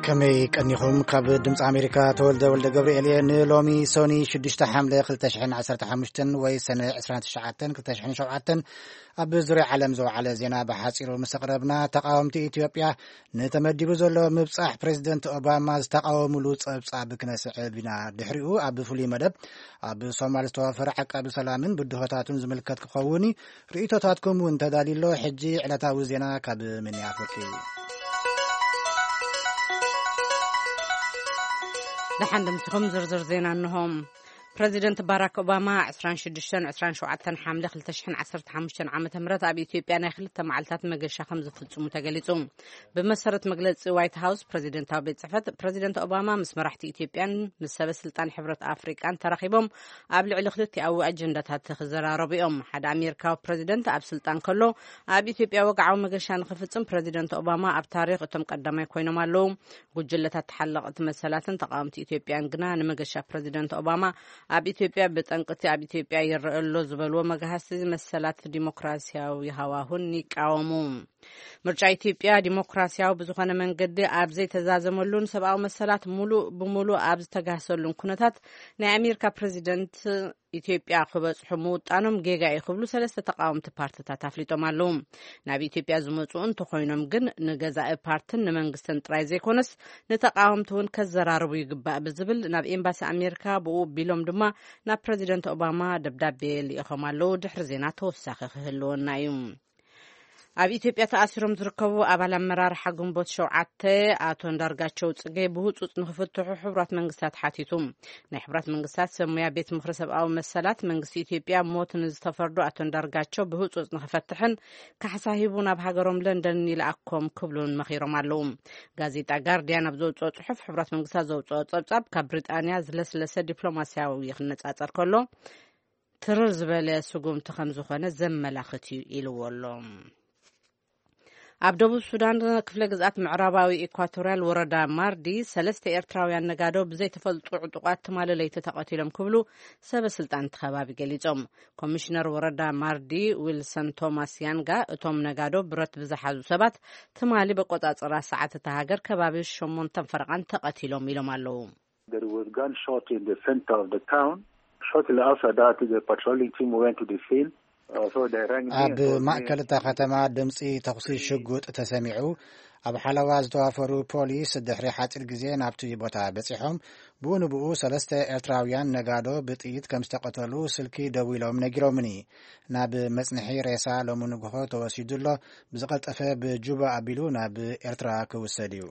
ከመይ ቀኒኹም? ካብ ድምፂ ኣሜሪካ ተወልደ ወልደ ገብርኤል እየ። ንሎሚ ሶኒ ሽዱሽተ ሓምለ ክልተ ሽሕን ዓሰርተ ሓሙሽተን ወይ ሰነ ዕስራን ትሽዓተን ክልተ ሽሕን ሸውዓተን ኣብ ዙርያ ዓለም ዝወዓለ ዜና ብሓፂሩ ምስ ኣቕረብና፣ ተቃወምቲ ኢትዮጵያ ንተመዲቡ ዘሎ ምብጻሕ ፕሬዚደንት ኦባማ ዝተቃወሙሉ ጸብጻብ ክነስዕብ ኢና። ድሕሪኡ ኣብ ፍሉይ መደብ ኣብ ሶማል ዝተዋፈረ ዓቃቢ ሰላምን ብድሆታቱን ዝምልከት ክኸውን እዩ። ርእይቶታትኩም እውን ተዳልዩ ኣሎ። ሕጂ ዕለታዊ ዜና ካብ ሚኒያፖሊስ። ደሓን ድምፅኹም ዝርዝር ዜና እንሆ። ፕረዚደንት ባራክ ኦባማ ዕስራን ሽዱሽተን ዕስራን ሸውዓተን ሓምለ ክልተ ሽሕን ዓሰርተ ሓሙሽተን ዓመተ ምህረት ኣብ ኢትዮጵያ ናይ ክልተ መዓልታት መገሻ ከም ዝፍጽሙ ተገሊጹ። ብመሰረት መግለጺ ዋይት ሃውስ ፕረዚደንታዊ ቤት ጽሕፈት፣ ፕረዚደንት ኦባማ ምስ መራሕቲ ኢትዮጵያን ምስ ሰበ ስልጣን ሕብረት ኣፍሪቃን ተራኺቦም ኣብ ልዕሊ ክልቲኣዊ ኣጀንዳታት ክዘራረቡ እዮም። ሓደ ኣሜሪካዊ ፕረዚደንት ኣብ ስልጣን ከሎ ኣብ ኢትዮጵያ ወግዓዊ መገሻ ንኽፍጽም ፕረዚደንት ኦባማ ኣብ ታሪኽ እቶም ቀዳማይ ኮይኖም ኣለዉ። ጉጅለታት ተሓለቕቲ መሰላትን ተቃወምቲ ኢትዮጵያን ግና ንመገሻ ፕረዚደንት ኦባማ ኣብ ኢትዮጵያ ብጠንቅቲ ኣብ ኢትዮጵያ ይረአ ኣሎ ዝበልዎ መግሃስቲ መሰላት ዲሞክራሲያዊ ሃዋሁን ይቃወሙ። ምርጫ ኢትዮጵያ ዲሞክራሲያዊ ብዝኾነ መንገዲ ኣብ ዘይተዛዘመሉን ሰብኣዊ መሰላት ሙሉእ ብሙሉእ ኣብ ዝተጋህሰሉን ኩነታት፣ ናይ ኣሜሪካ ፕረዚደንት ኢትዮጵያ ክበጽሑ ምውጣኖም ጌጋ እዩ ክብሉ ሰለስተ ተቃወምቲ ፓርትታት ኣፍሊጦም ኣለዉ። ናብ ኢትዮጵያ ዝመጹ እንተኾይኖም ግን ንገዛኢ ፓርትን ንመንግስትን ጥራይ ዘይኮነስ ንተቃወምቲ እውን ከዘራርቡ ይግባእ ብዝብል ናብ ኤምባሲ ኣሜሪካ፣ ብኡ ቢሎም ድማ ናብ ፕረዚደንት ኦባማ ደብዳቤ ልኢኾም ኣለዉ። ድሕሪ ዜና ተወሳኺ ክህልወና እዩ። ኣብ ኢትዮጵያ ተኣሲሮም ዝርከቡ ኣባል ኣመራርሓ ግንቦት ሸውዓተ ኣቶ እንዳርጋቸው ጽጌ ብህጹጽ ንክፍትሑ ሕቡራት መንግስታት ሓቲቱ። ናይ ሕቡራት መንግስታት ሰብ ሞያ ቤት ምኽሪ ሰብኣዊ መሰላት፣ መንግስቲ ኢትዮጵያ ሞት ንዝተፈርዱ ኣቶ እንዳርጋቸው ብህጹጽ ንክፈትሕን ካሕሳ ሂቡ ናብ ሃገሮም ለንደን ይልኣኮም ክብሉን መኺሮም ኣለዉ። ጋዜጣ ጋርዲያን ኣብ ዘውጽኦ ጽሑፍ፣ ሕቡራት መንግስታት ዘውጽኦ ጸብጻብ ካብ ብሪጣንያ ዝለስለሰ ዲፕሎማሲያዊ ክነጻጸር ከሎ፣ ትርር ዝበለ ስጉምቲ ከም ዝኾነ ዘመላኽት እዩ ኢልዎ ኣሎ። ኣብ ደቡብ ሱዳን ክፍለ ግዝኣት ምዕራባዊ ኢኳቶርያል ወረዳ ማርዲ፣ ሰለስተ ኤርትራውያን ነጋዶ ብዘይተፈልጡ ዕጡቓት ትማሊ ለይቲ ተቐቲሎም ክብሉ ሰበ ስልጣን እቲ ከባቢ ገሊጾም። ኮሚሽነር ወረዳ ማርዲ ዊልሰን ቶማስ ያንጋ፣ እቶም ነጋዶ ብረት ብዝሓዙ ሰባት ትማሊ በቆጻጽራ ሰዓት እታ ሃገር ከባቢ ሸሞንተን ፈረቓን ተቐቲሎም ኢሎም ኣለዉ። There was gunshot in the center of the town. Shortly after that, the patrolling team went to the scene. Uh, so they rang me ኣብ and told me ማእከል እታ ከተማ ድምጺ ተኹሲ ሽጉጥ ተሰሚዑ። ኣብ ሓለዋ ዝተዋፈሩ ፖሊስ ድሕሪ ሓጺር ግዜ ናብቲ ቦታ በጺሖም። ብኡ ንብኡ ሰለስተ ኤርትራውያን ነጋዶ ብጥይት ከም ዝተቐተሉ ስልኪ ደዊሎም ነጊሮምኒ። ናብ መጽንሒ ሬሳ ሎሚ ንግሆ ተወሲዱ ኣሎ። ብዝቐልጠፈ ብጁባ ኣቢሉ ናብ ኤርትራ ክውሰድ እዩ።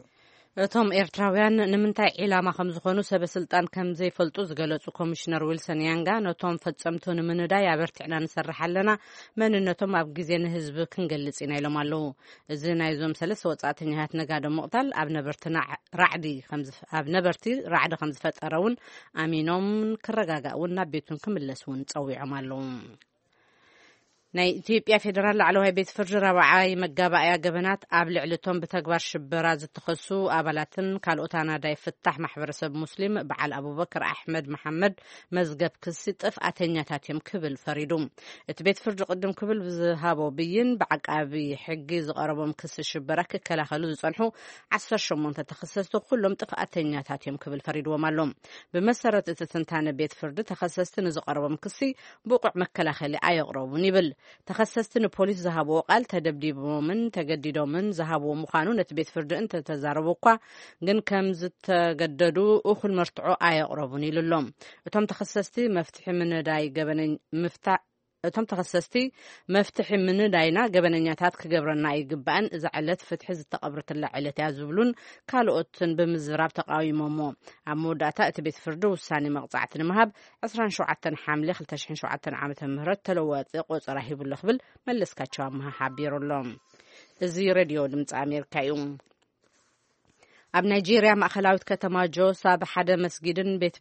እቶም ኤርትራውያን ንምንታይ ዒላማ ከም ዝኾኑ ሰበ ስልጣን ከም ዘይፈልጡ ዝገለጹ ኮሚሽነር ዊልሰን ያንጋ፣ ነቶም ፈጸምቱ ንምንዳይ ኣበርቲዕና ንሰርሕ ኣለና፣ መንነቶም ኣብ ግዜ ንህዝቢ ክንገልጽ ኢና ኢሎም ኣለዉ። እዚ ናይዞም ሰለስተ ወጻእተኛታት ነጋዶ ምቕታል ኣብ ነበርቲ ራዕዲ ከም ዝፈ-፣ ኣብ ነበርቲ ራዕዲ ከም ዝፈጠረ እውን ኣሚኖም፣ ክረጋጋእ እውን ናብ ቤቱን ክምለስ እውን ጸዊዖም ኣለዉ። ናይ ኢትዮጵያ ፌዴራል ላዕለዋይ ቤት ፍርዲ ራብዓይ መጋባእያ ገበናት ኣብ ልዕሊ እቶም ብተግባር ሽበራ ዝተኸሱ ኣባላትን ካልኦት ኣናዳይ ፍታሕ ማሕበረሰብ ሙስሊም በዓል ኣቡበከር ኣሕመድ መሓመድ መዝገብ ክሲ ጥፍኣተኛታት እዮም ክብል ፈሪዱ። እቲ ቤት ፍርዲ ቅድም ክብል ብዝሃቦ ብይን፣ ብዓቃቢ ሕጊ ዝቐረቦም ክሲ ሽበራ ክከላኸሉ ዝጸንሑ ዓሰርተ ሸሞንተ ተኸሰስቲ ኩሎም ጥፍኣተኛታት እዮም ክብል ፈሪድዎም ኣሎ። ብመሰረት እቲ ትንታነ ቤት ፍርዲ፣ ተኸሰስቲ ንዝቐረቦም ክሲ ብቑዕ መከላኸሊ ኣየቕረቡን ይብል። ተኸሰስቲ ንፖሊስ ዝሃብዎ ቃል፣ ተደብዲቦምን ተገዲዶምን ዝሃብዎ ምዃኑ ነቲ ቤት ፍርዲ እንተተዛረቡ እኳ፣ ግን ከም ዝተገደዱ እኹል መርትዖ ኣየቕረቡን ኢሉ ኣሎ። እቶም ተኸሰስቲ መፍትሒ ምንዳይ ገበነኝ-፣ ምፍታ-፣ እቶም ተኸሰስቲ መፍትሒ ምንዳይና ገበነኛታት ክገብረና ኣይግባእን፣ እዛ ዕለት ፍትሒ ዝተቐብረትላ ዕለት እያ ዝብሉን ካልኦትን ብምዝራብ ተቃዊሞሞ። ኣብ መወዳእታ እቲ ቤት ፍርዲ ውሳኔ መቕጻዕቲ ንምሃብ ዕስራን ሸውዓተን ሓምለ ክልተ ሽሕን ሸውዓተን ዓመተ ምህረት ተለዋጢ ቆጸራ ሂቡሎ ክብል መለስካቸው ኣምሃ ሓቢሩ ኣሎ። እዚ ሬድዮ ድምፂ ኣሜሪካ እዩ። ኣብ ናይጄርያ ማእኸላዊት ከተማ ጆስ ኣብ ሓደ መስጊድን ቤት፣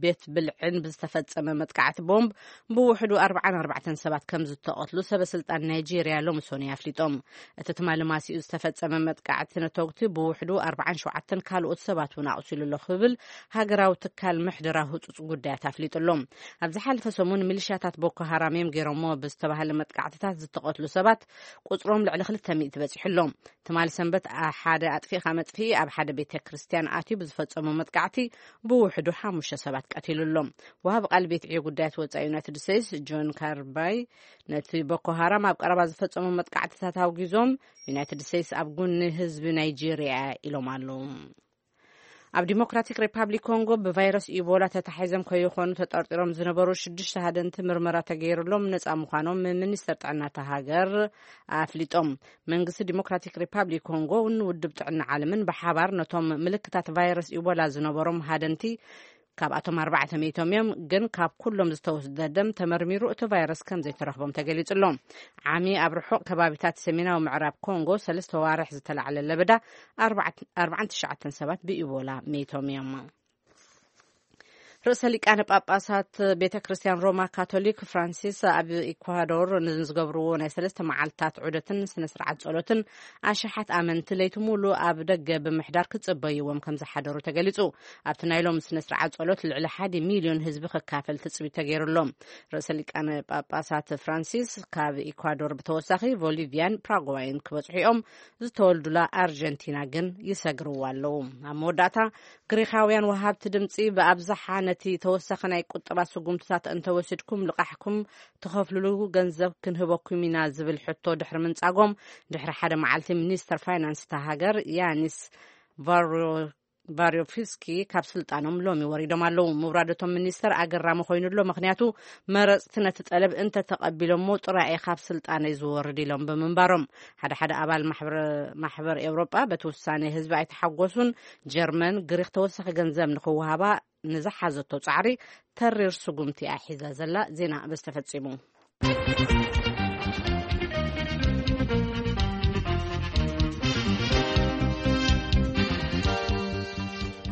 ቤት ብልዕን ብዝተፈጸመ መጥቃዕቲ ቦምብ ብውሕዱ ኣርባዓን ኣርባዕተን ሰባት ከም ዝተቐትሉ ሰበ ስልጣን ናይጄርያ ሎሚ ሶኒ ኣፍሊጦም። እቲ ትማሊ ማሲኡ ዝተፈጸመ መጥቃዕቲ ነተጉቲ ብውሕዱ ኣርባዓን ሸውዓተን ካልኦት ሰባት እውን ኣቑሲሉ ኣሎ ክብል ሃገራዊ ትካል ምሕደራ ህጹጽ ጉዳያት ኣፍሊጡ ኣሎ። ኣብ ዝሓለፈ ሰሙን ሚሊሻታት ቦኮ ሃራም እዮም ገይሮምዎ ብዝተባህለ መጥቃዕትታት ዝተቐትሉ ሰባት ቁጽሮም ልዕሊ ክልተ ሚእቲ በጺሑ ኣሎ። ትማሊ ሰንበት ኣ-፣ ሓደ ኣጥፊእኻ መጥፍኢ ኣብ ሓደ ቤተ ክርስቲያን ኣትዩ ብዝፈጸሞ መጥቃዕቲ ብውሕዱ ሓሙሽተ ሰባት ቀቲሉ ኣሎ። ወሃቢ ቃል ቤት ዕዮ ጉዳያት ወጻኢ ዩናይትድ ስቴትስ ጆን ካርባይ ነቲ ቦኮ ሃራም ኣብ ቀረባ ዝፈጸሞ መጥቃዕትታት ኣውጊዞም፣ ዩናይትድ ስቴትስ ኣብ ጎኒ ህዝቢ ናይጄርያ ኢሎም ኣለዉ። ኣብ ዲሞክራቲክ ሪፓብሊክ ኮንጎ ብቫይረስ ኢቦላ ተታሒዞም ከይኾኑ ተጠርጢሮም ዝነበሩ ሽዱሽተ ሃደንቲ ምርመራ ተገይሩሎም ነጻ ምዃኖም ሚኒስተር ጥዕና እታ ሃገር ኣፍሊጦም። መንግስቲ ዲሞክራቲክ ሪፓብሊክ ኮንጎ እውን ውድብ ጥዕና ዓለምን ብሓባር ነቶም ምልክታት ቫይረስ ኢቦላ ዝነበሮም ሃደንቲ፣ ካብኣቶም ኣርባዕተ ሚእቶም እዮም፣ ግን ካብ ኩሎም ዝተወስደ ደም ተመርሚሩ እቲ ቫይረስ ከም ዘይተረኽቦም ተገሊጹ ኣሎ። ዓሚ ኣብ ርሑቕ ከባቢታት ሰሜናዊ ምዕራብ ኮንጎ ሰለስተ ዋርሕ ዝተላዕለ ለበዳ ኣርባዕተ ኣርባዓን ትሽዓተን ሰባት ብኢቦላ ሚቶም እዮም። ርእሰ ሊቃነ ጳጳሳት ቤተ ክርስቲያን ሮማ ካቶሊክ ፍራንሲስ ኣብ ኢኳዶር ንዝገብርዎ ናይ ሰለስተ መዓልታት ዑደትን ስነ ስርዓት ጸሎትን ኣሽሓት ኣመንቲ ለይቲ ሙሉ ኣብ ደገ ብምሕዳር ክጽበይዎም ከም ዝሓደሩ ተገሊጹ። ኣብቲ ናይ ሎም ስነ ስርዓት ጸሎት ልዕሊ ሓደ ሚልዮን ህዝቢ ክካፈል ትጽቢት ተገይሩሎም። ርእሰ ሊቃነ ጳጳሳት ፍራንሲስ ካብ ኢኳዶር ብተወሳኺ ቦሊቪያን ፓራጓይን ክበጽሑ እዮም። ዝተወልዱላ ኣርጀንቲና ግን ይሰግርዋ ኣለዉ። ኣብ መወዳእታ፣ ግሪኻውያን ወሃብቲ ድምጺ ብኣብዝሓ ነቲ ተወሳኺ ናይ ቁጠባ ስጉምትታት እንተወሲድኩም ልቓሕኩም ትኸፍልሉ ገንዘብ ክንህበኩም ኢና ዝብል ሕቶ ድሕሪ ምንጻጎም፣ ድሕሪ ሓደ መዓልቲ ሚኒስተር ፋይናንስ እታ ሃገር ያኒስ ቫሮ-፣ ቫሪዮፍስኪ ካብ ስልጣኖም ሎሚ ወሪዶም ኣለዉ። ምውራደቶም ሚኒስተር ኣገራሚ ኮይኑ ኣሎ፣ ምኽንያቱ መረጽቲ ነቲ ጠለብ እንተተቐቢሎሞ ጥራይ እየ ካብ ስልጣነይ ዝወርድ ኢሎም ብምንባሮም። ሓደ ሓደ ኣባል ማሕበረ-፣ ማሕበር ኤውሮጳ በቲ ውሳኔ ህዝቢ ኣይተሓጎሱን። ጀርመን፣ ግሪኽ ተወሳኺ ገንዘብ ንኽወሃባ ንዝሓዘቶ ጻዕሪ ተሪር ስጉምቲ እያ ሒዛ ዘላ። ዜና በዚ ተፈጺሙ።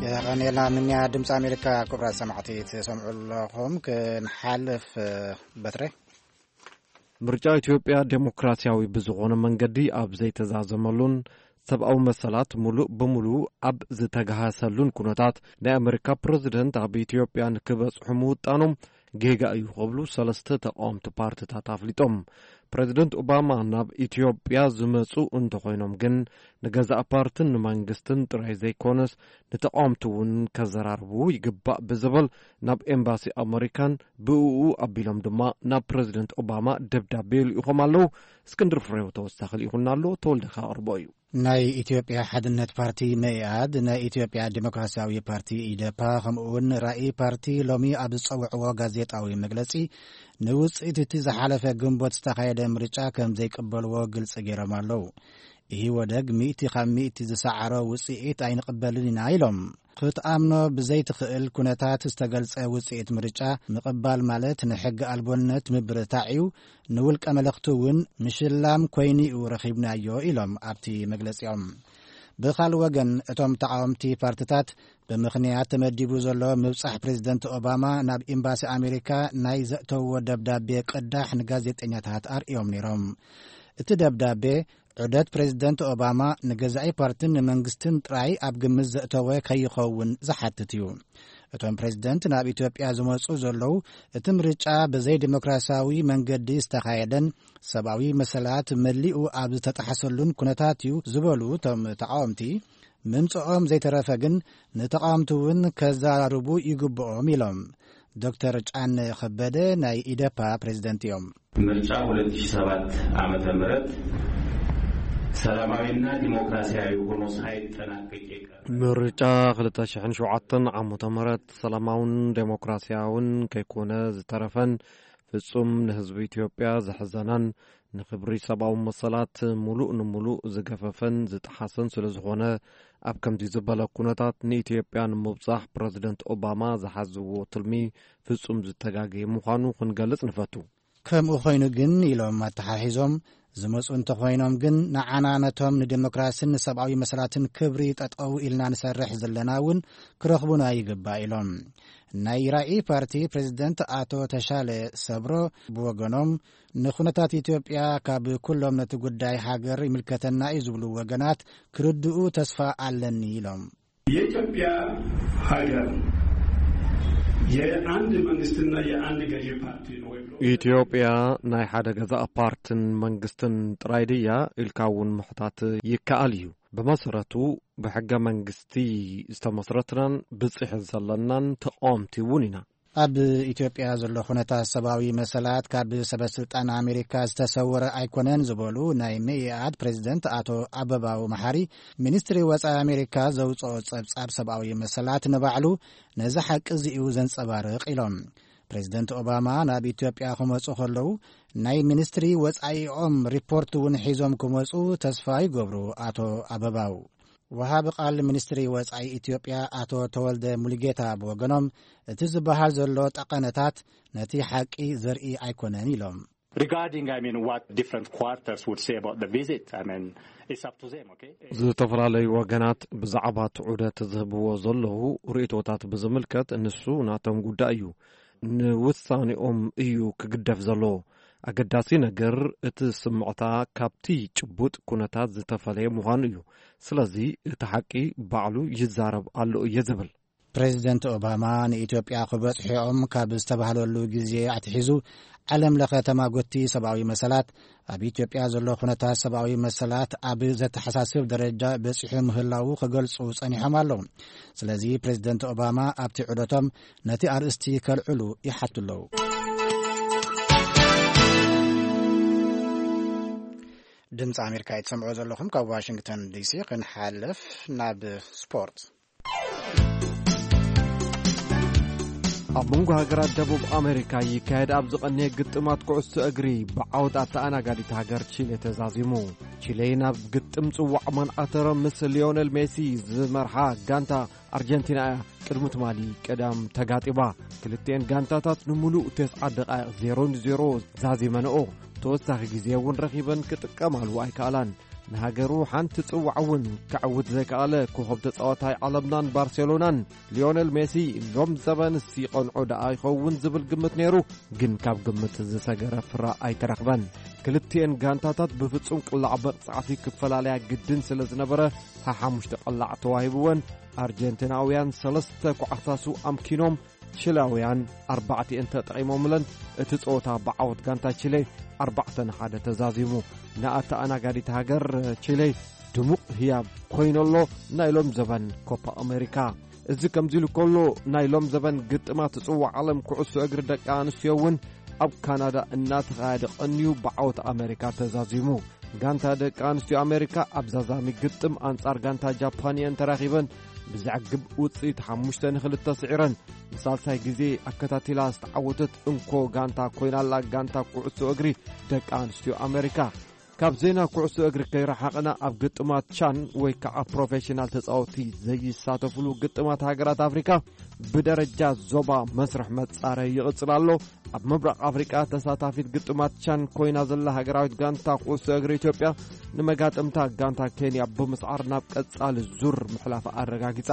የቐኔልና ምንያ ድምፂ ኣሜሪካ። ክቡራት ሰማዕቲ ትሰምዑ ኣለኹም። ክንሓልፍ፣ እ፣ በትረ። ምርጫ ኢትዮጵያ ዴሞክራሲያዊ ብዝኾነ መንገዲ ኣብ ዘይተዛዘመሉን ሰብኣዊ መሰላት ሙሉእ ብሙሉእ ኣብ ዝተገሃሰሉን ኩነታት፣ ናይ ኣሜሪካ ፕረዚደንት ኣብ ኢትዮጵያ ንክበጽሑ ምውጣኖም ጌጋ እዩ ክብሉ ሰለስተ ተቃወምቲ ፓርትታት ኣፍሊጦም። ፕረዚደንት ኦባማ ናብ ኢትዮጵያ ዝመጹ እንተኾይኖም ግን፣ ንገዛእ ፓርትን ንመንግስትን ጥራይ ዘይኮነስ፣ ንተቃወምቲ እውን ከዘራርቡ ይግባእ ብዝብል፣ ናብ ኤምባሲ ኣመሪካን ብእኡ ኣቢሎም ድማ ናብ ፕረዚደንት ኦባማ ደብዳቤ ይልኢኾም ኣለዉ። እስክንድር ፍሬው ተወሳኺ ልኢኹና ኣሎ፣ ተወልደ ከቕርቦ እዩ። ናይ ኢትዮጵያ ሓድነት ፓርቲ፣ መኢኣድ፣ ናይ ኢትዮጵያ ዲሞክራሲያዊ ፓርቲ፣ ኢዴፓ፣ ከምኡ እውን ራኢ ፓርቲ ሎሚ ኣብ ዝጸውዕዎ ጋዜጣዊ መግለጺ፣ ንውጽኢት እቲ ዝሓለፈ ግንቦት ዝተኻየደ ምርጫ ከም ዘይቅበልዎ ግልጺ ገይሮም ኣለዉ። ኢህወደግ ሚእቲ ካብ ሚእቲ ዝሰዓሮ ውጽኢት ኣይንቕበልን ኢና ኢሎም። ክትኣምኖ ብዘይትኽእል ኩነታት ዝተገልጸ ውጽኢት ምርጫ ምቕባል ማለት ንሕጊ ኣልቦነት ምብርታዕ እዩ፣ ንውልቀ መለኽቲ እውን ምሽላም ኮይኑ እዩ ረኺብናዮ ኢሎም ኣብቲ መግለጺኦም። ብኻልእ ወገን፣ እቶም ተቓወምቲ ፓርትታት ብምኽንያት ተመዲቡ ዘሎ ምብጻሕ ፕሬዚደንት ኦባማ ናብ ኤምባሲ ኣሜሪካ ናይ ዘእተውዎ ደብዳቤ ቅዳሕ ንጋዜጠኛታት ኣርእዮም ነይሮም። እቲ ደብዳቤ ዑደት ፕሬዚደንት ኦባማ ንገዛኢ ፓርትን ንመንግስትን ጥራይ ኣብ ግምት ዘእተወ ከይኸውን ዝሓትት እዩ። እቶም ፕሬዚደንት ናብ ኢትዮጵያ ዝመጹ ዘለዉ፣ እቲ ምርጫ ብዘይ ዲሞክራሲያዊ መንገዲ ዝተኻየደን ሰብኣዊ መሰላት መሊኡ ኣብ ዝተጣሕሰሉን ኩነታት እዩ ዝበሉ እቶም ተቃወምቲ፣ ምምጽኦም ዘይተረፈ ግን ንተቃወምቲ እውን ከዘራርቡ ይግብኦም ኢሎም። ዶክተር ጫነ ከበደ ናይ ኢዴፓ ፕሬዚደንት እዮም። ምርጫ ሁለት ሺህ ሰባት ዓመተ ምህረት ሰላማዊና ዲሞክራሲያዊ ሆኖ ሳይጠናቀቅ የቀረ። ምርጫ ክልተ ሽሕን ሸውዓተን ዓመተ ምህረት ሰላማውን ዴሞክራሲያውን ከይኮነ ዝተረፈን ፍጹም ንህዝቢ ኢትዮጵያ ዘሕዘነን ንክብሪ ሰብኣዊ መሰላት ሙሉእ ንሙሉእ ዝገፈፈን ዝጠሓሰን ስለ ዝኾነ፣ ኣብ ከምዚ ዝበለ ኩነታት ንኢትዮጵያ ንምብጻሕ ፕረዚደንት ኦባማ ዝሓዝዎ ትልሚ ፍጹም ዝተጋገየ ምዃኑ ክንገልጽ ንፈቱ። ከምኡ ኮይኑ ግን፣ ኢሎም ኣተሓሒዞም፣ ዝመጹ እንተኾይኖም ግን፣ ንዓና ነቶም ንዴሞክራሲን ንሰብኣዊ መሰላትን ክብሪ ጠጠው ኢልና ንሰርሕ ዘለና እውን ክረኽቡና ይግባእ ኢሎም። ናይ ራኢ ፓርቲ ፕሬዚደንት ኣቶ ተሻለ ሰብሮ ብወገኖም፣ ንኩነታት ኢትዮጵያ ካብ ኩሎም ነቲ ጉዳይ ሃገር ይምልከተና እዩ ዝብሉ ወገናት ክርድኡ ተስፋ ኣለኒ ኢሎም። የኢትዮጵያ ሀገር የአንድ መንግስትና የአንድ ገዢ ፓርቲ ነው ወይ ብሎ ኢትዮጵያ ናይ ሓደ ገዛእ ፓርትን መንግስትን ጥራይ ድያ ኢልካ እውን ምሕታት ይከኣል እዩ። ብመሰረቱ ብሕገ መንግስቲ ዝተመስረትናን ብጽሒ ዘለናን ተቃወምቲ እውን ኢና። ኣብ ኢትዮጵያ ዘሎ ኩነታት ሰብኣዊ መሰላት ካብ ሰበስልጣን ኣሜሪካ ዝተሰወረ ኣይኮነን ዝበሉ ናይ መኢኣድ ፕሬዚደንት ኣቶ ኣበባው መሓሪ፣ ሚኒስትሪ ወጻኢ ኣሜሪካ ዘውጽኦ ጸብጻብ ሰብኣዊ መሰላት ንባዕሉ ነዚ ሓቂ እዚ እዩ ዘንጸባርቕ ኢሎም። ፕሬዚደንት ኦባማ ናብ ኢትዮጵያ ክመጹ ከለዉ ናይ ሚኒስትሪ ወጻኢኦም ሪፖርት እውን ሒዞም ክመጹ ተስፋ ይገብሩ ኣቶ ኣበባው። ወሃቢ ቃል ሚኒስትሪ ወጻኢ ኢትዮጵያ ኣቶ ተወልደ ሙሉጌታ ብወገኖም፣ እቲ ዝበሃል ዘሎ ጠቐነታት ነቲ ሓቂ ዘርኢ ኣይኮነን ኢሎም። Regarding, I mean, what different quarters would say about the visit, I mean, it's up to them, okay? ዝተፈላለዩ ወገናት ብዛዕባ እቲ ዑደት ዝህብዎ ዘለዉ ርእይቶታት ብዝምልከት ንሱ ናቶም ጉዳይ እዩ። ንውሳኔኦም እዩ ክግደፍ ዘለዎ። ኣገዳሲ ነገር እቲ ስምዕታ ካብቲ ጭቡጥ ኩነታት ዝተፈለየ ምዃኑ እዩ። ስለዚ እቲ ሓቂ ባዕሉ ይዛረብ ኣሎ እየ ዝብል። ፕሬዚደንት ኦባማ ንኢትዮጵያ ክበጽሕኦም ካብ ዝተባህለሉ ግዜ ኣትሒዙ ዓለም ለኸ ተማጎቲ ሰብኣዊ መሰላት ኣብ ኢትዮጵያ ዘሎ ኩነታት ሰብኣዊ መሰላት ኣብ ዘተሓሳስብ ደረጃ በጺሑ ምህላዉ ክገልጹ ጸኒሖም ኣለዉ። ስለዚ ፕሬዚደንት ኦባማ ኣብቲ ዑደቶም ነቲ ኣርእስቲ ከልዕሉ ይሓቱ ኣለዉ። ድምፂ ኣሜሪካ እትሰምዑ ዘለኹም ካብ ዋሽንግተን ዲሲ። ክንሓልፍ ናብ ስፖርት። ኣብ መንጎ ሃገራት ደቡብ ኣሜሪካ ይካየድ ኣብ ዝቐነየ ግጥማት ኩዕሶ እግሪ ብዓወት ኣተኣናጋዲት ሃገር ቺሌ ተዛዚሙ። ቺሌ ናብ ግጥም ጽዋዕ ማን ኣተረ ምስ ሊዮነል ሜሲ ዝመርሓ ጋንታ ኣርጀንቲና እያ ቅድሚ ትማሊ ቀዳም ተጋጢባ። ክልቲኤን ጋንታታት ንምሉእ ተስዓ ደቓይቕ ዜሮ ንዜሮ ዛዚመንኦ። ተወሳኺ ግዜ እውን ረኺበን ክጥቀማሉ ኣይከኣላን። ንሃገሩ ሓንቲ ጽዋዕ እውን ከዕውት ዘይከኣለ ኮኸብ ተጻዋታይ ዓለምናን ባርሴሎናን ሊዮነል ሜሲ ሎም ዘበንስ ይቐንዖ ደኣ ይኸውን ዝብል ግምት ነይሩ፣ ግን ካብ ግምት ዝሰገረ ፍረ ኣይተረኽበን። ክልቲኤን ጋንታታት ብፍጹም ቅላዕ መቕጻዕቲ ክፈላለያ ግድን ስለ ዝነበረ፣ ሓሓሙሽተ ቅላዕ ተዋሂብወን ኣርጀንቲናውያን ሰለስተ ኳዕታሱ ኣምኪኖም፣ ቺላውያን ኣርባዕቲኤን ተጠቒሞምለን። እቲ ጸወታ ብዓወት ጋንታ ቺሌ ኣርባዕተ ንሓደ ተዛዚሙ። ንኣተኣናጋዲት ሃገር ቺሌ ድሙቕ ህያብ ኮይኑ'ሎ ናይ ሎም ዘበን ኮፓ ኣሜሪካ። እዚ ከምዚ ኢሉ ከሎ፣ ናይ ሎም ዘበን ግጥማት ጽዋዕ ዓለም ኩዕሶ እግሪ ደቂ ኣንስትዮ እውን ኣብ ካናዳ እናተኻየደ ቀንዩ ብዓወት ኣሜሪካ ተዛዚሙ። ጋንታ ደቂ ኣንስትዮ ኣሜሪካ ኣብ ዛዛሚ ግጥም ኣንጻር ጋንታ ጃፓን እየን ተራኺበን ብዘዕግብ ውጽኢት ሓሙሽተ ንኽልተ ስዒረን። ንሳልሳይ ግዜ ኣከታቲላ ዝተዓወተት እንኮ ጋንታ ኮይናላ ጋንታ ኩዕሶ እግሪ ደቂ ኣንስትዮ ኣሜሪካ። ካብ ዜና ኩዕሶ እግሪ ከይረሓቕና፣ ኣብ ግጥማት ቻን ወይ ከዓ ፕሮፌሽናል ተጻወትቲ ዘይሳተፍሉ ግጥማት ሃገራት ኣፍሪካ ብደረጃ ዞባ መስርሕ መጻረይ ይቕጽል ኣሎ። ኣብ ምብራቕ ኣፍሪቃ ተሳታፊት ግጥማት ቻን ኮይና ዘላ ሃገራዊት ጋንታ ኩዕሶ እግሪ ኢትዮጵያ ንመጋጥምታ ጋንታ ኬንያ ብምስዓር ናብ ቀጻሊ ዙር ምሕላፋ ኣረጋጊጻ።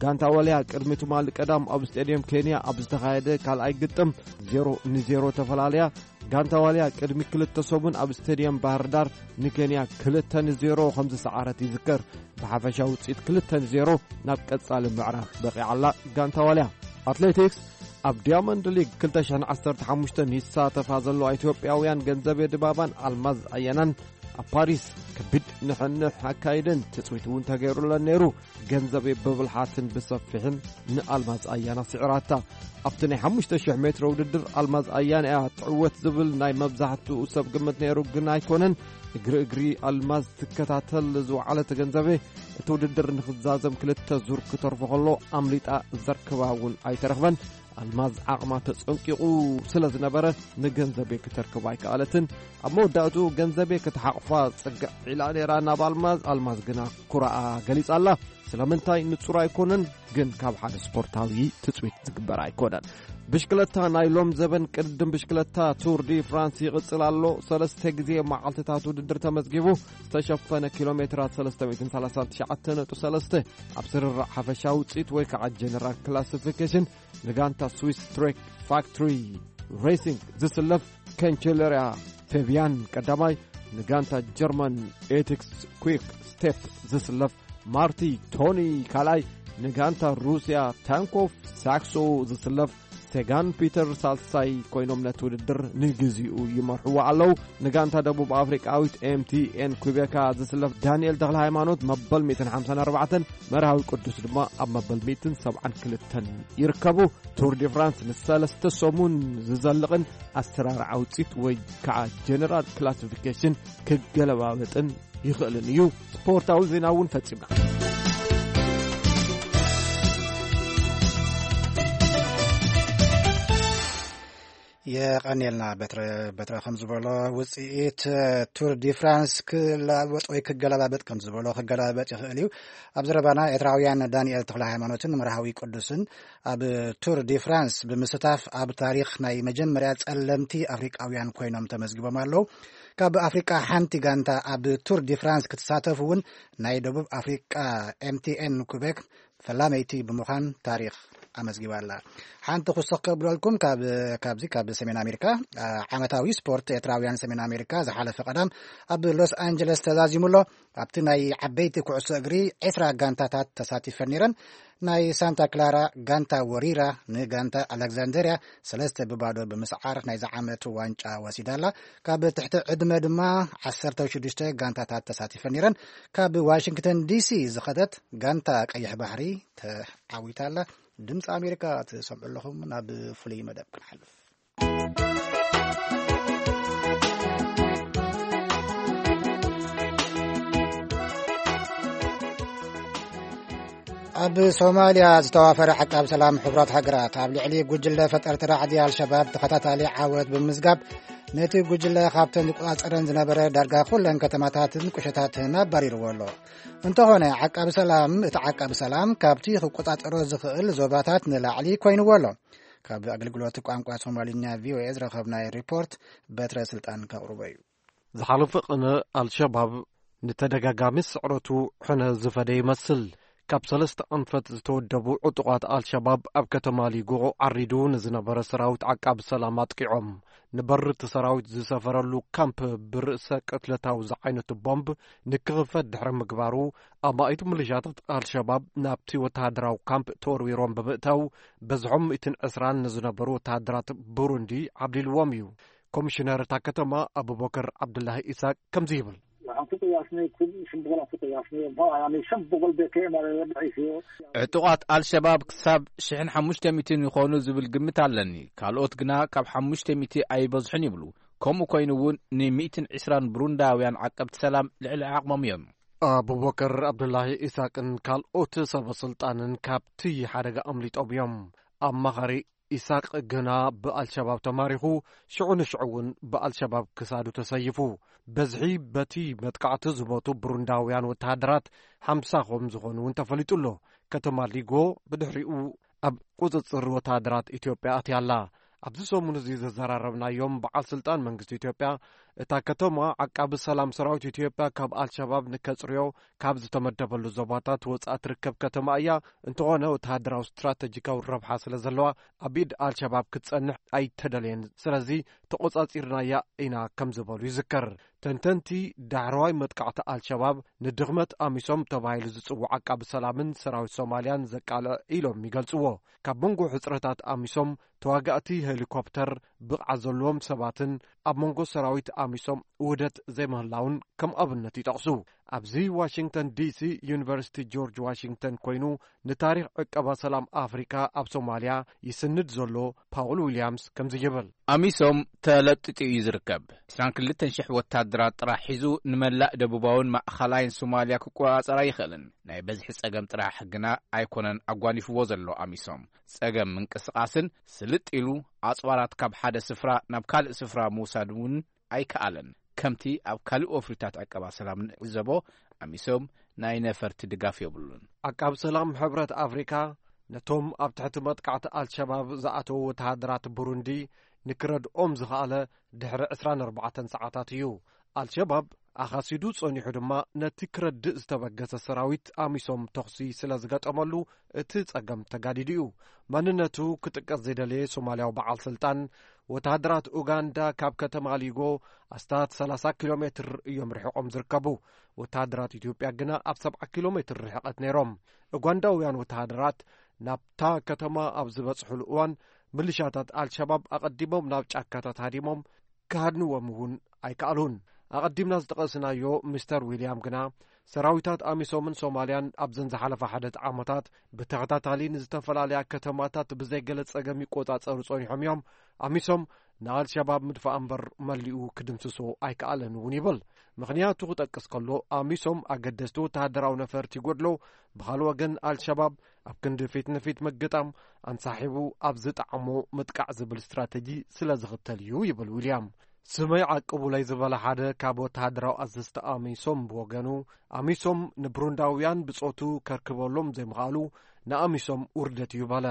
ጋንታ ዋልያ ቅድሚ ትማሊ ቀዳም ኣብ ስቴድየም ኬንያ ኣብ ዝተኻየደ ካልኣይ ግጥም ዜሮ ንዜሮ ተፈላለያ። ጋንታ ዋልያ ቅድሚ ክልተ ሰሙን ኣብ ስቴድየም ባህር ዳር ንኬንያ ክልተ ንዜሮ ከም ዝሰዓረት ይዝከር። ብሓፈሻ ውፅኢት ክልተ ንዜሮ ናብ ቀጻሊ ምዕራፍ በቂዓ ኣላ ጋንታ ዋልያ። ኣትሌቲክስ። ኣብ ዲያመንድ ሊግ ክልተ ሽሕን ዓሰርተ ሓሙሽተን ይሳተፋ ዘለዋ ኢትዮጵያውያን ገንዘቤ ድባባን ኣልማዝ ኣያናን ኣብ ፓሪስ ከቢድ ንሕንሕ ኣካይደን ትፅቢት እውን ተገይሩለን ነይሩ። ገንዘቤ ብብልሓትን ብሰፊሕን ንኣልማዝ ኣያና ስዒራታ። ኣብቲ ናይ ሓሙሽተ ሽሕ ሜትሮ ውድድር ኣልማዝ ኣያና እያ ትዕወት ዝብል ናይ መብዛሕትኡ ሰብ ግምት ነይሩ፣ ግን ኣይኮነን። እግሪ እግሪ ኣልማዝ ትከታተል ዝወዓለት ገንዘቤ፣ እቲ ውድድር ንኽዛዘም ክልተ ዙር ክተርፎ ከሎ ኣምሊጣ ዘርክባ እውን ኣይተረኽበን። ኣልማዝ ዓቕማ ተጸንቂቑ ስለ ዝነበረ ንገንዘቤ ክተርክባ ኣይከኣለትን። ኣብ መወዳእትኡ ገንዘቤ ክትሓቕፋ ጽግዕ ኢላ ነይራ ናብ ኣልማዝ። ኣልማዝ ግና ኩራኣ ገሊጻ ኣላ። ስለምንታይ ንጹር ኣይኮነን፣ ግን ካብ ሓደ ስፖርታዊ ትጽቢት ዝግበር ኣይኮነን። ብሽክለታ። ናይ ሎም ዘበን ቅድድም ብሽክለታ ቱር ዲ ፍራንስ ይቕጽል ኣሎ። ሰለስተ ግዜ መዓልትታት ውድድር ተመዝጊቡ። ዝተሸፈነ ኪሎ ሜትራት ሰለስተ ሚእትን ሰላሳን ትሽዓተ ነጥቢ ሰለስተ። ኣብ ስርርዕ ሓፈሻዊ ውጽኢት ወይ ከዓ ጀነራል ክላሲፊኬሽን ንጋንታ ስዊስ ትሬክ ፋክትሪ ሬሲንግ ዝስለፍ ከንቸለርያ ፌቢያን ቀዳማይ፣ ንጋንታ ጀርመን ኤቲክስ ኩክ ስቴፕ ዝስለፍ ማርቲ ቶኒ ካልኣይ፣ ንጋንታ ሩስያ ታንኮፍ ሳክሶ ዝስለፍ ስቴጋን ፒተር ሳልሳይ ኮይኖም ነቲ ውድድር ንግዚኡ ይመርሕዎ ኣለዉ። ንጋንታ ደቡብ ኣፍሪቃዊት ኤምቲኤን ኩቤካ ዝስለፍ ዳንኤል ተኽለ ሃይማኖት መበል ሚእትን ሓምሳን ኣርባዕተን፣ መርሃዊ ቅዱስ ድማ ኣብ መበል ሚእትን ሰብዓን ክልተን ይርከቡ። ቱር ዲ ፍራንስ ንሰለስተ ሰሙን ዝዘልቕን ኣሰራርዓ ውፅኢት ወይ ከዓ ጀነራል ክላሲፊኬሽን ክገለባበጥን ይኽእልን እዩ። ስፖርታዊ ዜና እውን ፈጺምና። የቐንየልና በትረ። በትረ ከም ዝበሎ ውፅኢት ቱር ዲ ፍራንስ ክላወጥ ወይ ክገለባበጥ ከም ዝበሎ ክገለባበጥ ይኽእል እዩ። ኣብ ዘረባና ኤርትራውያን ዳንኤል ተኽለ ሃይማኖትን መርሃዊ ቅዱስን ኣብ ቱር ዲ ፍራንስ ብምስታፍ ኣብ ታሪኽ ናይ መጀመርያ ጸለምቲ ኣፍሪቃውያን ኮይኖም ተመዝጊቦም ኣለዉ። ካብ ኣፍሪቃ ሓንቲ ጋንታ ኣብ ቱር ዲ ፍራንስ ክትሳተፍ እውን ናይ ደቡብ ኣፍሪቃ ኤምቲኤን ኩቤክ ፈላመይቲ ብምዃን ታሪኽ ኣመዝጊባ ኣላ። ሓንቲ ክውስኽ ከብለልኩም ካብ፣ ካብዚ ካብ ሰሜን ኣሜሪካ፣ ዓ-፣ ዓመታዊ ስፖርት ኤርትራውያን ሰሜን ኣሜሪካ ዝሓለፈ ቀዳም ኣብ ሎስ ኣንጀለስ ተዛዚሙ ኣሎ። ኣብቲ ናይ ዓበይቲ ኩዕሶ እግሪ ዕስራ ጋንታታት ተሳቲፈን ነይረን። ናይ ሳንታ ክላራ ጋንታ ወሪራ ንጋንታ ኣሌክዛንደርያ ሰለስተ ብባዶ ብምስዓር ናይዚ ዓመት ዋንጫ ወሲዳ ኣላ። ካብ ትሕቲ ዕድመ ድማ ዓሰርተ ሽዱሽተ ጋንታታት ተሳቲፈን ነይረን። ካብ ዋሽንግተን ዲሲ ዝኸደት ጋንታ ቀይሕ ባሕሪ ተዓዊታ ኣላ። ድምፂ ኣሜሪካ ትሰምዑ ኣለኹም። ናብ ፍሉይ መደብ ክንሓልፍ። ኣብ ሶማልያ ዝተዋፈረ ዓቃብ ሰላም ሕቡራት ሃገራት ኣብ ልዕሊ ጉጅለ ፈጠርቲ ራዕዲ ኣልሸባብ ተኸታታሊ ዓወት ብምምዝጋብ፣ ነቲ ጉጅለ ካብተን ዝቆጻጸረን ዝነበረ ዳርጋ ኩለን ከተማታትን ቁሸታትን ኣባሪርዎ ኣሎ። እንተኾነ፣ ዓቃብ ሰላም፣ እቲ ዓቃብ ሰላም ካብቲ ክቆጻጸሮ ዝኽእል ዞባታት ንላዕሊ ኮይንዎ ኣሎ። ካብ ኣገልግሎት ቋንቋ ሶማልኛ ቪኦኤ ዝረኸብናዮ ሪፖርት በትረ ስልጣን ከቕርቦ እዩ። ዝሓለፈ ቅነ ኣልሸባብ ንተደጋጋሚ ስዕረቱ ሕነ ዝፈደ ይመስል። ካብ ሰለስተ ኣንፈት ዝተወደቡ ዕጡቓት ኣልሸባብ ኣብ ከተማ ሊጎ ዓሪዱ ንዝነበረ ሰራዊት ዓቃቢ ሰላም ኣጥቂዖም፣ ንበር እቲ ሰራዊት ዝሰፈረሉ ካምፕ ብርእሰ ቅትለታዊ ዝዓይነቱ ቦምብ ንክኽፈት ድሕሪ ምግባሩ፣ ኣማኢት ምልሻታት ኣልሸባብ ናብቲ ወተሃደራዊ ካምፕ ተወርዊሮም ብምእታው፣ በዝሖም ሚእትን ዕስራን ንዝነበሩ ወተሃደራት ብሩንዲ ዓብሊልዎም እዩ። ኮሚሽነር እታ ከተማ ኣቡበከር ዓብዱላሂ ኢሳቅ ከምዚ ይብል። Waxaan ku qiyaasnay kun shan boqol aan ku qiyaasnay. Muxuu ahaa? Shan boqol bay ka imaadeen, la dhacaysiyo. ዕጡቓት ኣልሸባብ ክሳብ ሽሕን ሓሙሽተ ሚእትን ይኾኑ ዝብል ግምት ኣለኒ። ካልኦት ግና ካብ ሓሙሽተ ሚእቲ ኣይበዝሑን ይብሉ። ከምኡ ኮይኑ እውን ንሚእትን ዕስራን ብሩንዳውያን ዓቀብቲ ሰላም ልዕሊ ዓቕሞም እዮም። ኣቡበከር ዓብዱላሂ ኢሳቅን ካልኦት ሰበ ስልጣንን ካብቲ ሓደጋ ኣምሊጦም እዮም። ኣማኻሪ ኢሳቅ ግና ብኣልሸባብ ተማሪኹ፣ ሽዑ ንሽዑ እውን ብኣልሸባብ ክሳዱ ተሰይፉ። በዝሒ በቲ መጥቃዕቲ ዝሞቱ ብሩንዳውያን ወተሃደራት ሓምሳ ከም ዝኾኑ እውን ተፈሊጡ ኣሎ። ከተማ ሊጎ ብድሕሪኡ ኣብ ቁጽጽር ወተሃደራት ኢትዮጵያ ኣትያ ኣላ። ኣብዚ ሰሙን እዚ ዘዘራረብናዮም በዓል ስልጣን መንግስቲ ኢትዮጵያ፣ እታ ከተማ ዓቃቢ ሰላም ሰራዊት ኢትዮጵያ ካብ ኣልሸባብ ንከጽርዮ ካብ ዝተመደበሉ ዞባታት ወጻእ ትርከብ ከተማ እያ። እንተኾነ፣ ወተሃደራዊ ስትራተጂካዊ ረብሓ ስለ ዘለዋ፣ ኣብ ኢድ ኣልሸባብ ክትጸንሕ ኣይተደልየን። ስለዚ፣ ተቖጻጺርናያ ኢና ከም ዝበሉ ይዝከር። ተንተንቲ፣ ዳሕረዋይ መጥቃዕቲ ኣልሸባብ ንድኽመት ኣሚሶም ተባሂሉ ዝጽዋዕ ዓቃቢ ሰላምን ሰራዊት ሶማልያን ዘቃልዕ ኢሎም ይገልጽዎ። ካብ መንጎ ሕጽረታት ኣሚሶም፣ ተዋጋእቲ ሄሊኮፕተር፣ ብቕዓት ዘለዎም ሰባትን ኣብ መንጎ ሰራዊት ኣሚሶም ውህደት ዘይምህላውን ከም ኣብነት ይጠቕሱ። ኣብዚ ዋሽንግተን ዲሲ ዩኒቨርሲቲ ጆርጅ ዋሽንግተን ኮይኑ ንታሪኽ ዕቀባ ሰላም ኣፍሪካ ኣብ ሶማልያ ይስንድ ዘሎ ፓውል ዊልያምስ ከምዚ ይብል። ኣሚሶም ተለጢጡ እዩ ዝርከብ። ዕስራን ክልተን ሽሕ ወታደራት ጥራሕ ሒዙ ንመላእ ደቡባውን ማእኸላይን ሶማልያ ክቆጻጸር ኣይኽእልን። ናይ በዝሒ ጸገም ጥራሕ ግና ኣይኮነን ኣጓኒፍዎ ዘሎ ኣሚሶም። ጸገም ምንቅስቓስን ስልጥ ኢሉ ኣጽዋራት ካብ ሓደ ስፍራ ናብ ካልእ ስፍራ ምውሳድ እውን ኣይከኣለን። ከምቲ ኣብ ካልእ ወፍሪታት ዕቀባ ሰላም ንዕዘቦ፣ ኣሚሶም ናይ ነፈርቲ ድጋፍ የብሉን። ዓቃብ ሰላም ሕብረት ኣፍሪካ ነቶም ኣብ ትሕቲ መጥቃዕቲ ኣልሸባብ ዝኣተዉ ወተሃደራት ብሩንዲ ንክረድኦም ዝኸኣለ ድሕሪ ዕስራን ኣርባዕተን ሰዓታት እዩ። ኣልሸባብ ኣኻሲዱ ጸኒሑ ድማ ነቲ ክረድእ ዝተበገሰ ሰራዊት ኣሚሶም ተኹሲ ስለ ዝገጠመሉ እቲ ጸገም ተጋዲዱ እዩ። መንነቱ ክጥቀስ ዘይደለየ ሶማልያዊ በዓል ስልጣን፣ ወተሃደራት ኡጋንዳ ካብ ከተማ ሊጎ ኣስታት ሰላሳ ኪሎ ሜትር እዮም ርሒቖም ዝርከቡ። ወተሃደራት ኢትዮጵያ ግና ኣብ ሰብዓ ኪሎ ሜትር ርሕቐት ነይሮም። ኡጋንዳውያን ወተሃደራት ናብታ ከተማ ኣብ ዝበጽሑሉ እዋን፣ ምልሻታት ኣልሸባብ ኣቐዲሞም ናብ ጫካታት ሃዲሞም ክሃድንዎም እውን ኣይከኣሉን። ኣቐዲምና ዝጠቐስናዮ ሚስተር ዊልያም ግና፣ ሰራዊታት ኣሚሶምን ሶማልያን ኣብዘን ዝሓለፋ ሓደት ዓመታት ብተኸታታሊ ንዝተፈላለያ ከተማታት ብዘይገለ ጸገም ይቆጻጸሩ ጸኒሖም እዮም። ኣሚሶም ንኣልሸባብ ምድፋእ እምበር መሊኡ ክድምስሶ ኣይከኣለን እውን ይብል። ምኽንያቱ ክጠቅስ ከሎ፣ ኣሚሶም ኣገደስቲ ወተሃደራዊ ነፈርቲ ይጎድሎ፣ ብኻልእ ወገን ኣልሸባብ ኣብ ክንዲ ፊት ንፊት ምግጣም ኣንሳሒቡ ኣብ ዝጠዓሞ ምጥቃዕ ዝብል ስትራተጂ ስለ ዝኽተል እዩ ይብል ዊልያም። ስመይ ዓቅቡለይ ዝበለ ሓደ ካብ ወተሃደራዊ ኣዘዝቲ ኣሚሶም ብወገኑ፣ ኣሚሶም ንብሩንዳውያን ብጾቱ ከርክበሎም ዘይምኽኣሉ ንኣሚሶም ውርደት እዩ በለ።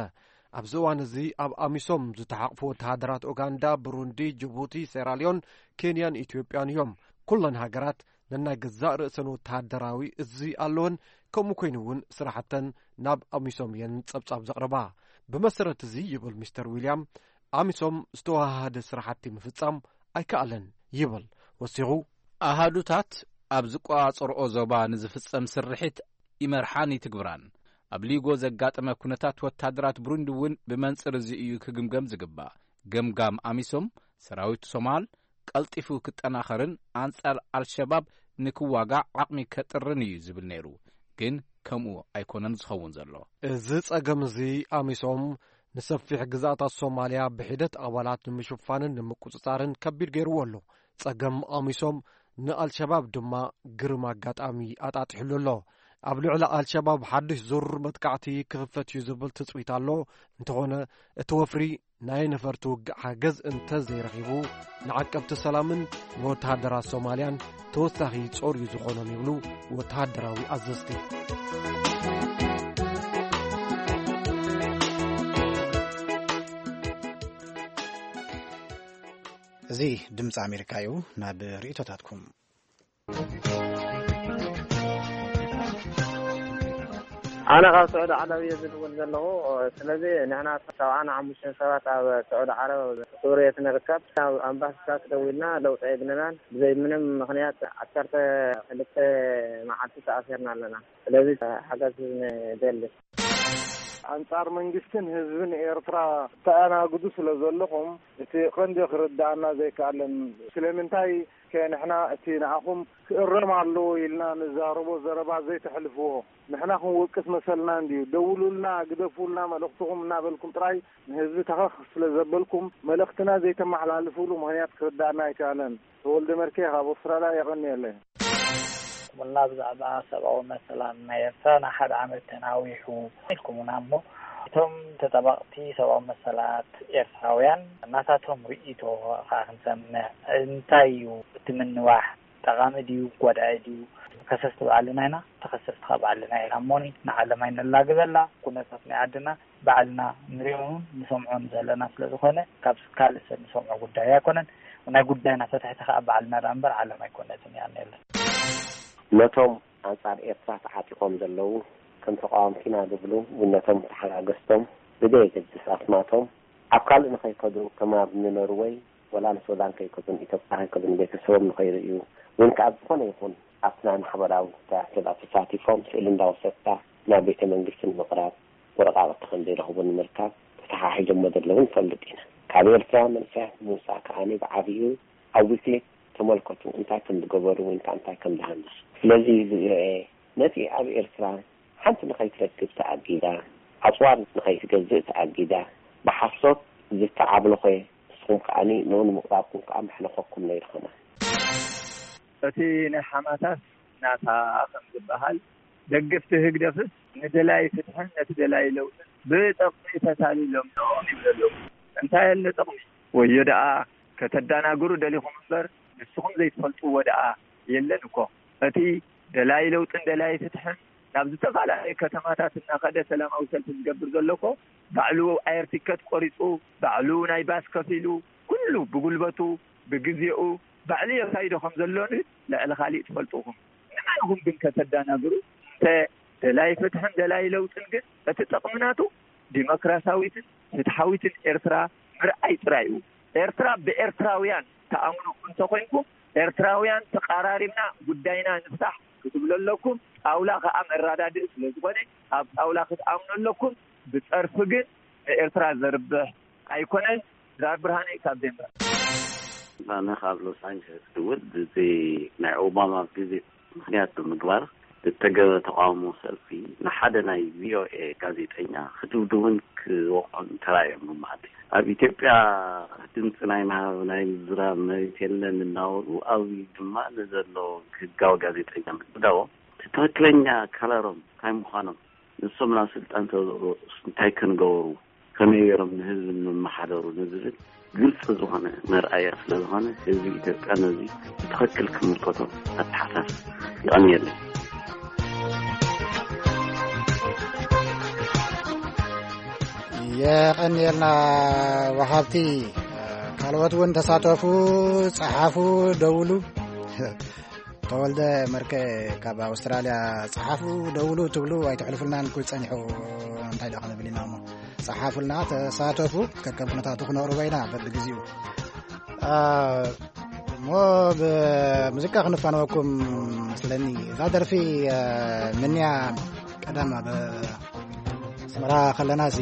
ኣብዚ እዋን እዚ ኣብ ኣሚሶም ዝተሓቕፉ ወተሃደራት ኡጋንዳ፣ ብሩንዲ፣ ጅቡቲ፣ ሴራልዮን፣ ኬንያን ኢትዮጵያን እዮም። ኩለን ሃገራት ነናይ ገዛእ ርእሰን ወተሃደራዊ እዚ ኣለወን፣ ከምኡ ኮይኑ እውን ስራሕተን ናብ ኣሚሶም እየን ጸብጻብ ዘቕርባ። ብመሰረት እዚ ይብል ሚስተር ዊልያም፣ ኣሚሶም ዝተወሃሃደ ስራሕቲ ምፍጻም ኣይከኣለን ይብል ወሲኹ። ኣሃዱታት ኣብ ዝቆጻጸርኦ ዞባ ንዝፍጸም ስርሒት ይመርሓን ይትግብራን። ኣብ ሊጎ ዘጋጠመ ኩነታት ወታደራት ብሩንዲ እውን ብመንጽር እዚ እዩ ክግምገም ዝግባእ። ገምጋም ኣሚሶም ሰራዊት ሶማል ቀልጢፉ ክጠናኸርን ኣንጻር ኣልሸባብ ንክዋጋእ ዓቕሚ ከጥርን እዩ ዝብል ነይሩ። ግን ከምኡ ኣይኮነን ዝኸውን ዘሎ። እዚ ጸገም እዚ ኣሚሶም ንሰፊሕ ግዝኣታት ሶማልያ ብሒደት ኣባላት ንምሽፋንን ንምቁጽጻርን ከቢድ ገይርዎ ኣሎ። ጸገም ኣሚሶም ንኣልሸባብ ድማ ግርም ኣጋጣሚ ኣጣጢሕሉ ኣሎ። ኣብ ልዕሊ ኣልሸባብ ሓድሽ ዙር መጥቃዕቲ ክኽፈት እዩ ዝብል ትጽቢት ኣሎ። እንተኾነ እቲ ወፍሪ ናይ ነፈርቲ ውግእ ሓገዝ እንተ ዘይረኺቡ፣ ንዓቀብቲ ሰላምን ንወተሃደራት ሶማልያን ተወሳኺ ጾር እዩ ዝኾኖም ይብሉ ወተሃደራዊ ኣዘዝቲ። እዚ ድምፂ ኣሜሪካ እዩ። ናብ ርእይቶታትኩም። ኣነ ካብ ስዑዲ ዓረብ እየ ዝድውል ዘለኹ። ስለዚ ንሕና ሰብዓን ሓሙሽተን ሰባት ኣብ ስዑዲ ዓረብ ኣብ ስውርየት ንርከብ። ኣብ ኣምባሲታት ደዊልና ለውጢ ኣይግንናን። ብዘይ ምንም ምኽንያት ዓሰርተ ክልተ መዓልቲ ተኣሲርና ኣለና። ስለዚ ሓገዝ ንደሊ። ኣንጻር መንግስትን ህዝብን ኤርትራ ተኣናግዱ ስለ ዘለኹም፣ እቲ ቀንዲ ክርድኣና ዘይከኣለን ስለምንታይ ከ ንሕና እቲ ንኣኹም ክእረም ኣለዎ ኢልና ንዛረቦ ዘረባ ዘይተሕልፍዎ? ንሕና ክንወቅስ መሰልና እንድዩ። ደውሉልና፣ ግደፉልና መልእኽትኹም እናበልኩም ጥራይ ንህዝቢ ተኸኽ ስለ ዘበልኩም፣ መልእኽትና ዘይተመሓላልፉሉ ምኽንያት ክርድኣና ኣይከኣለን። ተወልደ መርኬ ካብ ኣውስትራልያ የቐንየለይ። ኩምልና ብዛዕባ ሰብኣዊ መሰላት ናይ ኤርትራ ንሓደ ዓመት ተናዊሑ ኢልኩምና እሞ፣ እቶም ተጠባቕቲ ሰብኣዊ መሰላት ኤርትራውያን ናታቶም ርእይቶ ከኣ ክንሰምዕ። እንታይ እዩ እቲ ምንዋሕ? ጠቓሚ ድዩ? ጓዳኢ ድዩ? ከሰስቲ ባዕልና ኢና፣ ተኸሰስቲ ከኣ ባዕልና ኢና። እሞኒ ንዓለም ኣይነላግበላ። ኩነታት ናይ ዓድና ባዕልና ንሪኦን ንሰምዖን ዘለና ስለ ዝኾነ፣ ካብ ካልእ ሰብ ንሰምዖ ጉዳይ ኣይኮነን። ናይ ጉዳይና ፈታሕቲ ከኣ ባዕልና ደኣ እምበር ዓለም ኣይኮነትን እያ። የቐንየለይ። ነቶም ኣንጻር ኤርትራ ተዓጢቖም ዘለዉ፣ ከም ተቃወምቲ ኢና ዝብሉ፣ እውን ነቶም ተሓጋገዝቶም ብዘየገድስ ኣስማቶም፣ ኣብ ካልእ ንኸይከዱ፣ ከም ኣብ ንኖርወይ ወላ ንሱዳን ከይከዱ፣ ንኢትዮጵያ ከይከዱ፣ ንቤተሰቦም ንኸይርእዩ፣ እውን ከኣ ኣብ ዝኾነ ይኹን ኣብቲ ናይ ማሕበራዊ ጉዳያት ተሳቲፎም ስእሊ እንዳወሰድካ ናብ ቤተ መንግስቲ ንምቕራብ፣ ወረቓቕቲ ከም ዘይረኽቡ ንምርካብ ተተሓሒዞሞ ዘለዉ ንፈልጥ ኢና። ካብ ኤርትራውያን መንእሰያት ንምውጻእ ከኣ ብዓቢኡ ኣብ ዊክሊፍ ተመልከቱ እንታይ ከም ዝገበሩ ወይ ከኣ እንታይ ከም ዝሃነጹ። ስለዚ ዝርኤ ነቲ ኣብ ኤርትራ ሓንቲ ንኸይትረክብ ተኣጊዳ፣ ኣጽዋር ንኸይትገዝእ ተኣጊዳ፣ ብሓሶት ዝተዓብለኾ ንስኹም ከኣ ንኡ ንምቕራብኩም ከኣ መሕለኸኩም ነይሩ ከማን። እቲ ናይ ሓማታስ ናታ ከም ዝበሃል፣ ደገፍቲ ህግደፍስ ንደላይ ፍትሕን ነቲ ደላይ ለውጥን ብጠቕሚ ተታሊሎም እዮም ይብሉ ኣለዉ። እንታይ ኣሎ ጥቕሚ? ወዮ ደኣ ከተዳናግሩ ደሊኹም እምበር ንስኹም ዘይትፈልጥዎ ደኣ የለን እኮ። እቲ ደላይ ለውጥን ደላይ ፍትሕን ናብ ዝተፈላለዩ ከተማታት እናኸደ ሰላማዊ ሰልፊ ዝገብር ዘሎ እኮ ባዕሉ ኣየር ቲከት ቆሪጹ፣ ባዕሉ ናይ ባስ ከፊሉ፣ ኩሉ ብጉልበቱ፣ ብግዜኡ፣ ባዕሉ የካይዶ ከም ዘሎ ልዕሊ ካሊእ ትፈልጡ ኢኹም። ንመን ኢኹም ግን ከተዳናግሩ? እንተ ደላይ ፍትሕን ደላይ ለውጥን ግን እቲ ጥቕሚ ናቱ ዲሞክራሲያዊትን ፍትሓዊትን ኤርትራ ምርኣይ ጥራይ እዩ። ኤርትራ ብኤርትራውያን ትኣምኑ እንተኾይንኩም፣ ኤርትራውያን ተቓራሪብና ጉዳይና ንፍታሕ ክትብሉ ኣለኩም። ጣውላ ከኣ መረዳድኢ ስለ ዝኾነ ኣብ ጣውላ ክትኣምኑ ኣለኩም። ብጸርፊ ግን ንኤርትራ ዘርብሕ ኣይኮነ። ድራር ብርሃነ ካብ ዴንቨር። ኣነ ካብ ሎስ ኣንጀለስ ድውል፣ እዚ ናይ ኦባማ ቪዚት ምክንያት ብምግባር ዝተገበ ተቃውሞ ሰልፊ ንሓደ ናይ ቪኦኤ ጋዜጠኛ ክድብድቡን ክወቕዑን ተራእዮም ብመዓልቲ። ኣብ ኢትዮጵያ ድምፂ ናይ ምሃብ፣ ናይ ምዝራብ መሬት የለን እናበሉ ኣብዚ ድማ ንዘሎ ህጋዊ ጋዜጠኛ ምድብዳቦም፣ እቲ ትኽክለኛ ከለሮም እንታይ ምዃኖም፣ ንሶም ናብ ስልጣን ተብቅዑ እንታይ ክንገብሩ፣ ከመይ ገይሮም ንህዝቢ ንመሓደሩ ንዝብል ግልፂ ዝኾነ መርኣያ ስለ ዝኾነ፣ ህዝቢ ኢትዮጵያ ነዚ ብትኽክል ክምልከቶ ኣተሓሳስብ። ይቐንየለይ። የቐንየልና ወሃብቲ። ካልኦት እውን ተሳተፉ፣ ጸሓፉ፣ ደውሉ። ተወልደ መርከ ካብ ኣውስትራልያ፣ ጸሓፉ፣ ደውሉ ትብሉ ኣይትሕልፉልናን፣ ኩሉ ጸኒሑ። እንታይ ደኣ ክንብል ኢና እሞ፣ ጸሓፉልና፣ ተሳተፉ። ከከም ኩነታቱ ክነቕርቦ ኢና በብግዜኡ። አ፣ እሞ ብሙዚቃ ክንፋነወኩም መስለኒ። እዛ ደርፊ፣ አ፣ ምንያ ቀደም ኣብ ኣስመራ ከለና ሲ፣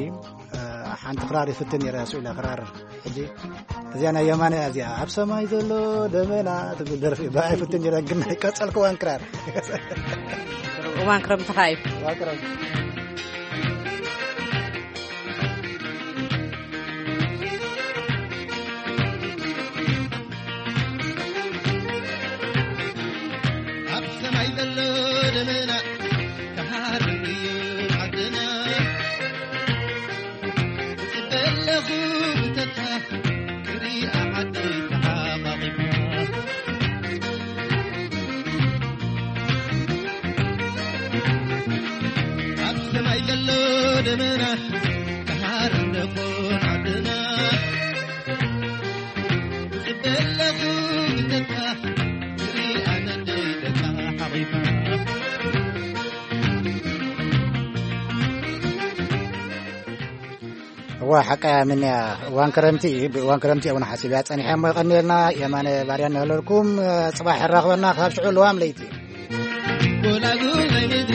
አ፣ ሓንቲ ክራር ይፍትን ነይረ፣ ስኢለ ክራር። ሕጂ እዚኣ ናይ የማነ እያ፣ እዚኣ ኣብ ሰማይ ዘሎ ደመና ትብል ደርፊ ብኣይ ፍትን ነይረ፣ ግን ናይ ቀጸልክዋን ክራር። እዋን ክረምቲ ኸኣ እዩ። እዋን ክረምቲ። ኣብ ሰማይ ዘሎ ደመና ክሃርም እዩ ዓድና። እጽበ ኣለኹ ብተስፋ ክሪኣ ዓደይ ተሓቋቒፋ። ኣብ ሰማይ ዘሎ ደመና ክሃርም ደኾን ዓድና። እጽበ ኣለኹ ብተስፋ ክሪኣ ዓደይ ተሓቋቒፋ። እዋ፣ ሓቃ እያ ምንያ። እዋን ክረምቲ እዩ። ብእዋን ክረምቲ እውን ሓሲብያ ጸኒሐ እሞ፣ የቐንየልና። የማነ ባርያ እናበለልኩም፣ ጽባሕ የራኽበና ካብ ሽዑ ልዋም ለይቲ። ጎላጉል ናይ ምድሪ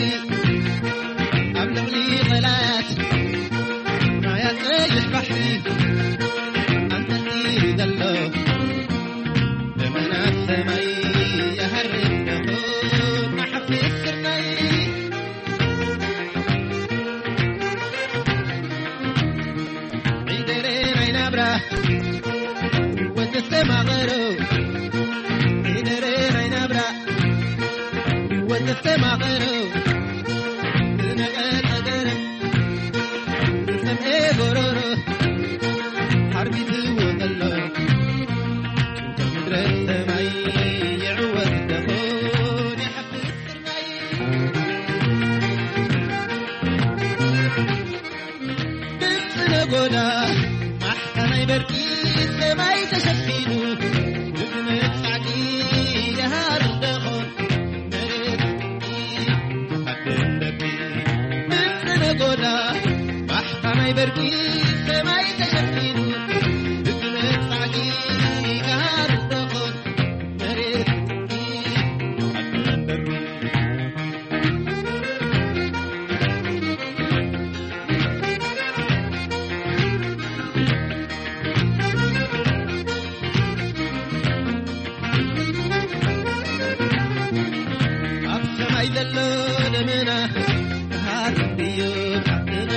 ኣብ ልዕሊ ቐላያት ናይ ኣጸይሕ ባሕሪ ኣንጠልጢሉ ዘሎ ደመና ሰማይ ይሃርም ደኾን ንሓፊስ ስርናይ። ዒደረ ናይ ናብራ ወተስተማቐሮ፣ ዒደረ ናይ ናብራ ወተስተማቐሮ፣ ዝነቐጸ ገረብ ዝሰምኤ ጎሮሮ፣ ሓርቢትዎ ዘሎ ጭንቀት ምድረ ሰማይ ይዕወት ደኾን ይሓፍስ ስርናይ። ድምፂ ነጎዳ ማሕታ ናይ በርቂ ሰማይ ተሸፊኑ፣ ብዝመት ጻዕቂ ይሃርም ደኾን መሬት ሓድን ደቂ። ድምፂ ነጎዳ ማሕታ ናይ በርቂ ሰማይ ተሸፊኑ፣ ብዝመት ጻዕቂ ይሃርም ደኾን መሬት ሓድን ደቂ። ኣብ ሰማይ ዘሎ ደመና ክሃርም ድዩ ዓድና?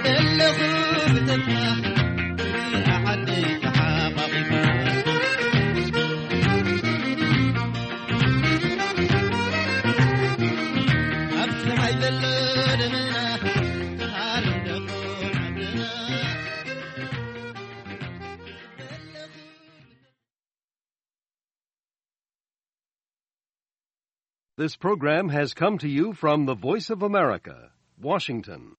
ዘለኹ ብተስፋ ክሪኣ ዓደይ ተሓቋቒፋ። ኣብ ሰማይ ዘሎ ደመና ክሃርም ደኾን ዓድና። This program has come to you from the Voice of America, Washington.